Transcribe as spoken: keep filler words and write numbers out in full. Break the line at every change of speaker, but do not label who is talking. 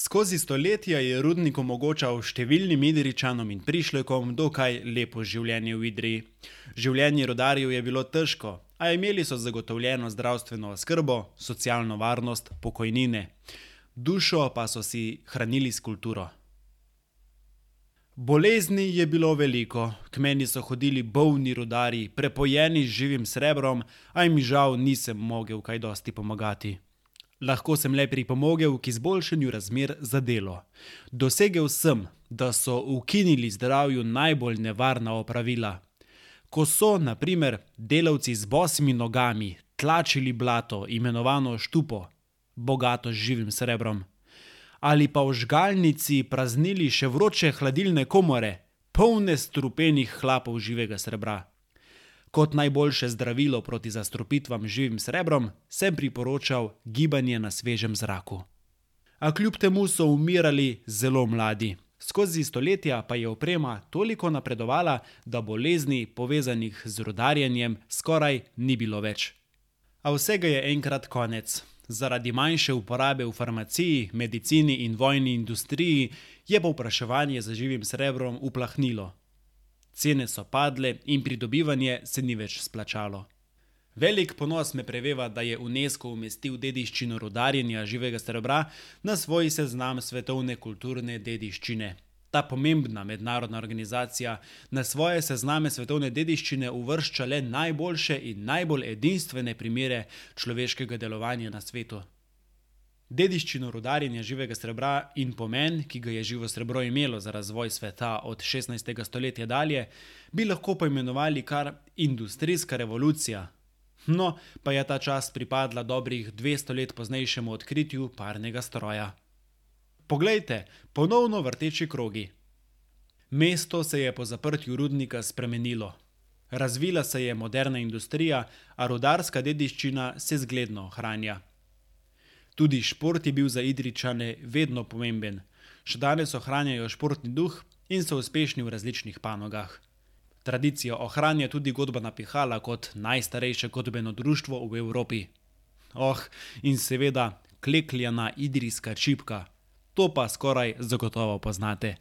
Skozi stoletja je rudnik omogočal številnim Idrijčanom in prišlekom dokaj lepo življenje v Idriji. Življenje rudarjev je bilo težko, a imeli so zagotovljeno zdravstveno oskrbo, socialno varnost, pokojnine. Dušo pa so si hranili s kulturo. Bolezni je bilo veliko, k meni so hodili bolni rudarji, prepojeni z živim srebrom, a jim žal nisem mogel kaj dosti pomagati. Lahko sem le pripomogel k izboljšanju razmer za delo. Dosegel sem, da so ukinili zdravju najbolj nevarna opravila. Ko so, na primer, delavci z bosimi nogami tlačili blato, imenovano štupo, bogato z živim srebrom, ali pa v žgalnici praznili še vroče hladilne komore, polne strupenih hlapov živega srebra. Kot najboljše zdravilo proti zastrupitvam z živim srebrom sem priporočal gibanje na svežem zraku. A kljub temu so umirali zelo mladi. Skozi stoletja pa je oprema toliko napredovala, da bolezni, povezanih z rudarjenjem, skoraj ni bilo več. A vsega je enkrat konec. Zaradi manjše uporabe v farmaciji, medicini in vojni industriji je povpraševanje za živim srebrom uplahnilo. Cene so padle in pridobivanje se ni več splačalo. Velik ponos me preveva, da je UNESCO umestil dediščino rudarjenja živega srebra na svoj seznam svetovne kulturne dediščine. Ta pomembna mednarodna organizacija na svoje sezname svetovne dediščine uvršča le najboljše in najbolj edinstvene primere človeškega delovanja na svetu. Dediščino rudarjenja živega srebra in pomen, ki ga je živo srebro imelo za razvoj sveta od šestnajstega stoletja dalje, bi lahko poimenovali kar industrijska revolucija. No, pa je ta čas pripadla dobrih dvesto let poznejšemu odkritju parnega stroja. Poglejte, ponovno vrteči krogi. Mesto se je po zaprtju rudnika spremenilo. Razvila se je moderna industrija, a rudarska dediščina se zgledno ohranja. Tudi šport je bil za Idrijčane vedno pomemben. Še danes ohranjajo športni duh in so uspešni v različnih panogah. Tradicijo ohranja tudi godbena pihala kot najstarejše godbeno društvo v Evropi. Oh, in seveda klekljana idrijska čipka. To pa skoraj zagotovo poznate.